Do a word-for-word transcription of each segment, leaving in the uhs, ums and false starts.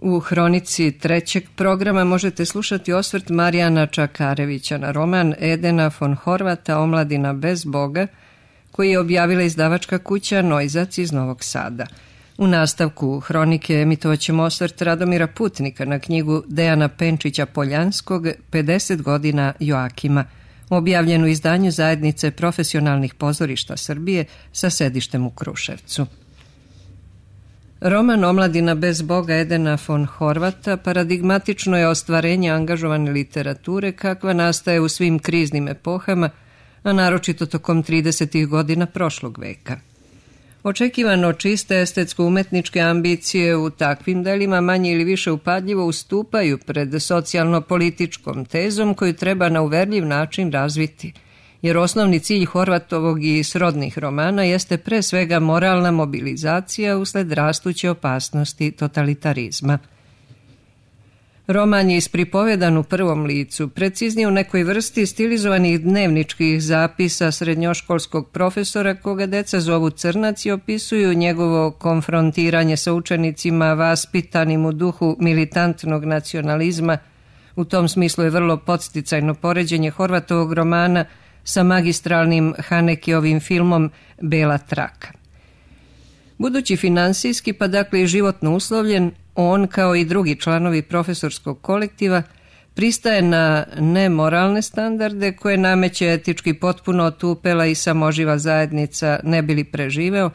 U hronici trećeg programa možete slušati osvrt Marijana Čakarevića na roman Edena von Horvata Omladina bez Boga, koji je objavila izdavačka kuća Nojzac iz Novog Sada. U nastavku hronike emitovat ćemo osvrt Radomira Putnika na knjigu Dejana Penčića Poljanskog pedeset godina Joakima, objavljenu u izdanju Zajednice profesionalnih pozorišta Srbije sa sedištem u Kruševcu. Roman Omladina bez Boga Edena von Horvata paradigmatično je ostvarenje angažovane literature kakva nastaje u svim kriznim epohama, a naročito tokom tridesetih godina prošlog veka. Očekivano čiste estetsko-umetničke ambicije u takvim delima manje ili više upadljivo ustupaju pred socijalno-političkom tezom koju treba na uverljiv način razviti, jer osnovni cilj Horvatovog i srodnih romana jeste pre svega moralna mobilizacija usled rastuće opasnosti totalitarizma. Roman je ispripovedan u prvom licu, preciznije u nekoj vrsti stilizovanih dnevničkih zapisa srednjoškolskog profesora koga deca zovu Crnac i opisuju njegovo konfrontiranje sa učenicima vaspitanim u duhu militantnog nacionalizma. U tom smislu je vrlo podsticajno poređenje Horvatovog romana sa magistralnim Hanekijovim filmom Bela traka. Budući finansijski, pa dakle i životno uslovljen, on, kao i drugi članovi profesorskog kolektiva, pristaje na nemoralne standarde koje nameće etički potpuno otupela i samoživa zajednica ne bi li preživeo,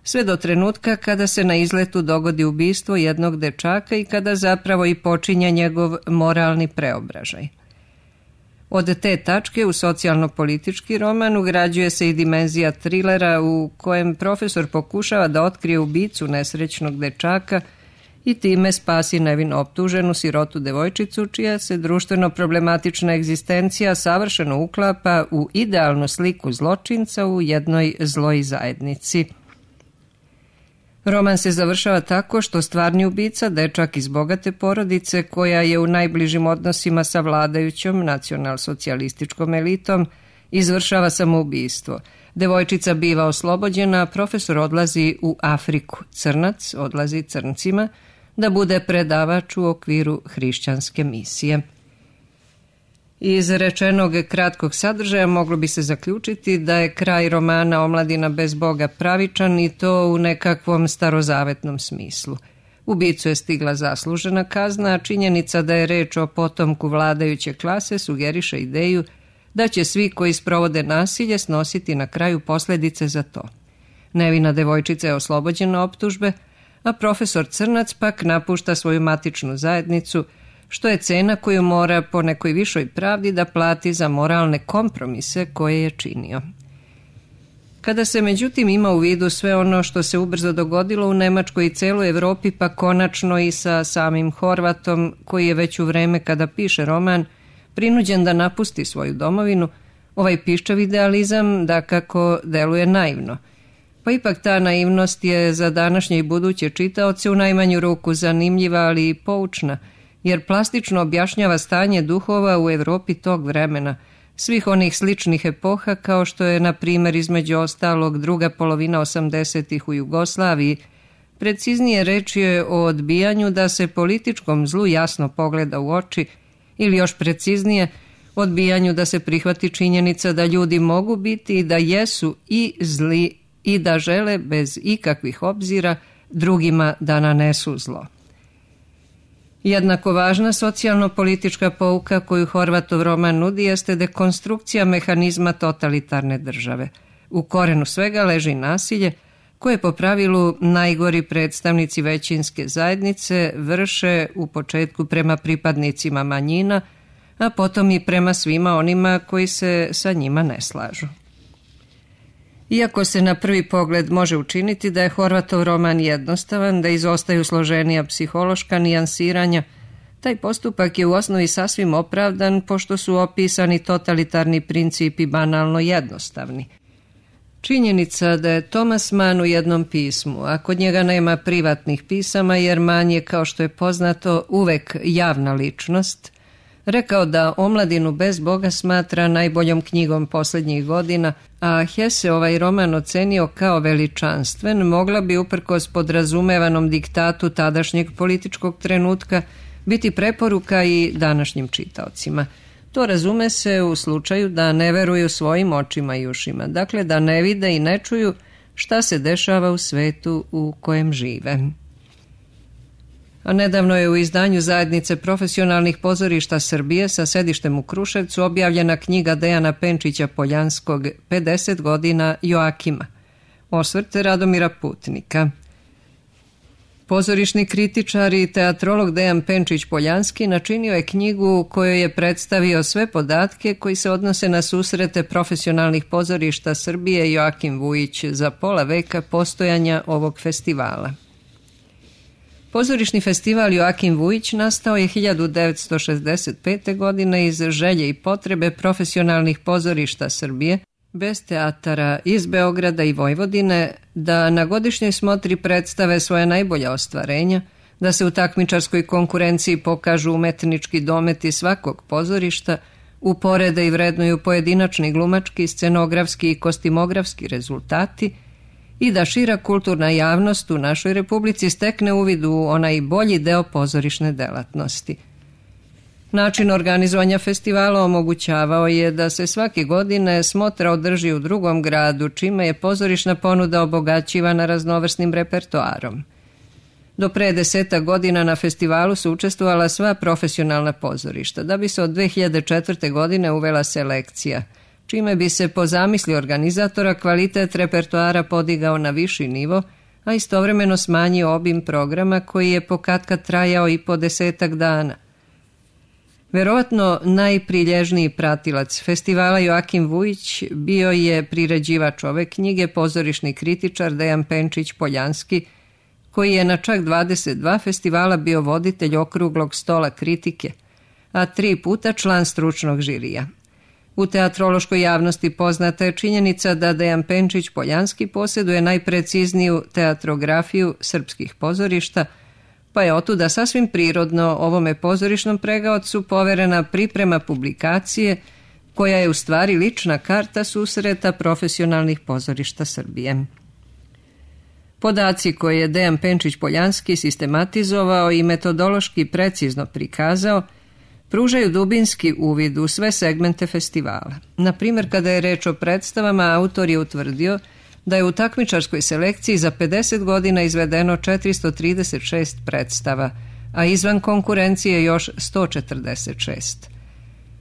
sve do trenutka kada se na izletu dogodi ubistvo jednog dečaka i kada zapravo i počinje njegov moralni preobražaj. Od te tačke u socijalno-politički roman ugrađuje se i dimenzija trilera u kojem profesor pokušava da otkrije ubicu nesrećnog dečaka i time spasi nevino optuženu sirotu devojčicu čija se društveno problematična egzistencija savršeno uklapa u idealnu sliku zločinca u jednoj zloj zajednici. Roman se završava tako što stvarni ubica, dečak iz bogate porodice koja je u najbližim odnosima sa vladajućom nacional-socijalističkom elitom, izvršava samoubistvo. Devojčica biva oslobođena, a profesor odlazi u Afriku. Crnac odlazi crncima da bude predavač u okviru hrišćanske misije. Iz rečenog kratkog sadržaja moglo bi se zaključiti da je kraj romana Omladina bez Boga pravičan i to u nekakvom starozavetnom smislu. Ubicu je stigla zaslužena kazna, a činjenica da je reč o potomku vladajuće klase sugeriše ideju da će svi koji sprovode nasilje snositi na kraju posljedice za to. Nevina devojčica je oslobođena optužbe, a profesor Crnac pak napušta svoju matičnu zajednicu, što je cena koju mora po nekoj višoj pravdi da plati za moralne kompromise koje je činio. Kada se međutim ima u vidu sve ono što se ubrzo dogodilo u Nemačkoj i celoj Evropi, pa konačno i sa samim Horvatom, koji je već u vreme kada piše roman prinuđen da napusti svoju domovinu, ovaj piščav idealizam dakako deluje naivno. Pa ipak ta naivnost je za današnje i buduće čitaoce u najmanju ruku zanimljiva, ali i poučna, jer plastično objašnjava stanje duhova u Evropi tog vremena, svih onih sličnih epoha kao što je, na primjer, između ostalog druga polovina osamdesetih u Jugoslaviji. Preciznije reč je o odbijanju da se političkom zlu jasno pogleda u oči, ili još preciznije, odbijanju da se prihvati činjenica da ljudi mogu biti i da jesu i zli i da žele bez ikakvih obzira drugima da nanesu zlo. Jednako važna socijalno-politička pouka koju Horvatov roman nudi jeste dekonstrukcija mehanizma totalitarne države. U korenu svega leži nasilje koje po pravilu najgori predstavnici većinske zajednice vrše u početku prema pripadnicima manjina, a potom i prema svima onima koji se sa njima ne slažu. Iako se na prvi pogled može učiniti da je Horvatov roman jednostavan, da izostaju složenija psihološka nijansiranja, taj postupak je u osnovi sasvim opravdan pošto su opisani totalitarni principi banalno jednostavni. Činjenica da je Thomas Mann u jednom pismu, a kod njega nema privatnih pisama jer Mann je, kao što je poznato, uvek javna ličnost, rekao da Omladinu bez Boga smatra najboljom knjigom posljednjih godina, a Hesse ovaj roman ocenio kao veličanstven, mogla bi uprkos podrazumevanom diktatu tadašnjeg političkog trenutka biti preporuka i današnjim čitaocima. To razume se u slučaju da ne veruju svojim očima i ušima, dakle da ne vide i ne čuju šta se dešava u svetu u kojem žive. A nedavno je u izdanju Zajednice profesionalnih pozorišta Srbije sa sedištem u Kruševcu objavljena knjiga Dejana Penčića Poljanskog pedeset godina Joakima, osvrt Radomira Putnika. Pozorišni kritičar i teatrolog Dejan Penčić Poljanski načinio je knjigu u kojoj je predstavio sve podatke koji se odnose na susrete profesionalnih pozorišta Srbije Joakim Vujić za pola veka postojanja ovog festivala. Pozorišni festival Joakim Vujić nastao je hiljadu devetsto šezdeset pete. godine iz želje i potrebe profesionalnih pozorišta Srbije, bez teatara iz Beograda i Vojvodine, da na godišnjoj smotri predstave svoje najbolja ostvarenja, da se u takmičarskoj konkurenciji pokažu umetnički dometi svakog pozorišta, uporede i vrednuju pojedinačni glumački, scenografski i kostimografski rezultati i da šira kulturna javnost u našoj Republici stekne uvid u onaj bolji deo pozorišne delatnosti. Način organizovanja festivala omogućavao je da se svake godine smotra održi u drugom gradu, čime je pozorišna ponuda obogaćivana raznovrsnim repertoarom. Do pre deseta godina na festivalu su učestvovala sva profesionalna pozorišta, da bi se od dve hiljade četvrte. godine uvela selekcija, čime bi se po zamisli organizatora kvalitet repertoara podigao na viši nivo, a istovremeno smanjio obim programa koji je pokatkad trajao i po desetak dana. Verovatno najprilježniji pratilac festivala Joakim Vujić bio je priređivač ove knjige, pozorišni kritičar Dejan Penčić Poljanski, koji je na čak dvadeset dva festivala bio voditelj okruglog stola kritike, a tri puta član stručnog žirija. U teatrološkoj javnosti poznata je činjenica da Dejan Penčić Poljanski posjeduje najprecizniju teatrografiju srpskih pozorišta, pa je otuda sasvim prirodno ovome pozorišnom pregaocu poverena priprema publikacije koja je u stvari lična karta susreta profesionalnih pozorišta Srbije. Podaci koje je Dejan Penčić Poljanski sistematizovao i metodološki precizno prikazao pružaju dubinski uvid u sve segmente festivala. Na primjer, kada je reč o predstavama, autor je utvrdio da je u takmičarskoj selekciji za pedeset godina izvedeno četiristo trideset šest predstava, a izvan konkurencije još sto četrdeset šest.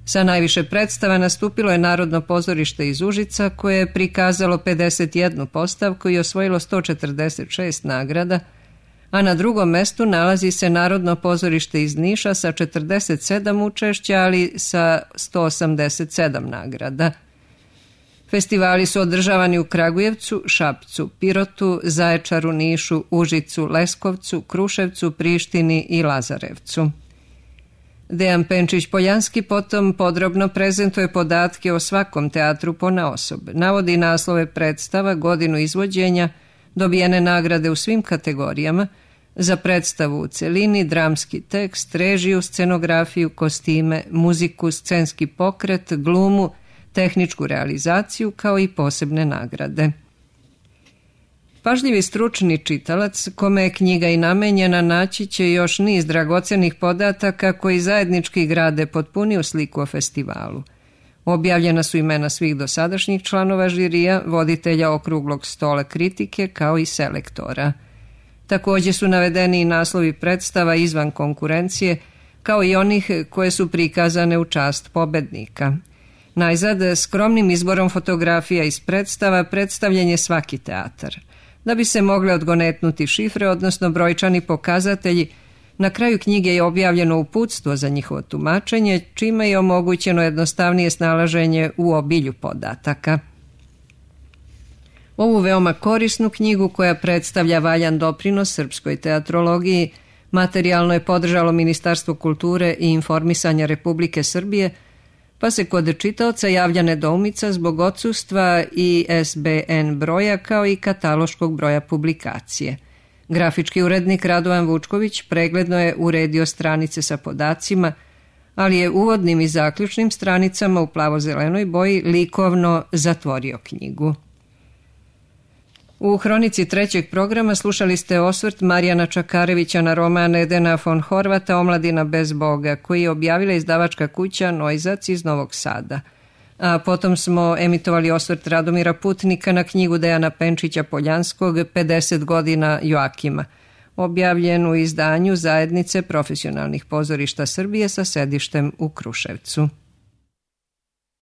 Sa najviše predstava nastupilo je Narodno pozorište iz Užica, koje je prikazalo pedeset jednu postavku i osvojilo sto četrdeset šest nagrada, a na drugom mestu nalazi se Narodno pozorište iz Niša sa četrdeset sedam učešća, ali sa sto osamdeset sedam nagrada. Festivali su održavani u Kragujevcu, Šapcu, Pirotu, Zaječaru, Nišu, Užicu, Leskovcu, Kruševcu, Prištini i Lazarevcu. Dejan Penčić Poljanski potom podrobno prezentuje podatke o svakom teatru ponaosob, navodi naslove predstava, godinu izvođenja, dobijene nagrade u svim kategorijama, za predstavu u celini, dramski tekst, režiju, scenografiju, kostime, muziku, scenski pokret, glumu, tehničku realizaciju kao i posebne nagrade. Pažljivi stručni čitalac, kome je knjiga i namenjena, naći će još niz dragocenih podataka koji zajednički grade potpuniju sliku o festivalu. Objavljena su imena svih dosadašnjih članova žirija, voditelja okruglog stola kritike kao i selektora. Također su navedeni i naslovi predstava izvan konkurencije, kao i onih koje su prikazane u čast pobednika. Najzad, skromnim izborom fotografija iz predstava predstavljen je svaki teatar. Da bi se mogle odgonetnuti šifre, odnosno brojčani pokazatelji, na kraju knjige je objavljeno uputstvo za njihovo tumačenje, čime je omogućeno jednostavnije snalaženje u obilju podataka. Ovu veoma korisnu knjigu, koja predstavlja valjan doprinos srpskoj teatrologiji, materijalno je podržalo Ministarstvo kulture i informisanja Republike Srbije, pa se kod čitaoca javlja nedoumica zbog odsustva i es be en broja kao i kataloškog broja publikacije. Grafički urednik Radovan Vučković pregledno je uredio stranice sa podacima, ali je uvodnim i zaključnim stranicama u plavo-zelenoj boji likovno zatvorio knjigu. U hronici trećeg programa slušali ste osvrt Marijana Čakarevića na roman Edena von Horvata Omladina bez Boga, koji je objavila izdavačka kuća Nojzac iz Novog Sada. A potom smo emitovali osvrt Radomira Putnika na knjigu Dejana Penčića Poljanskog pedeset godina Joakima, objavljen u izdanju Zajednice profesionalnih pozorišta Srbije sa sedištem u Kruševcu.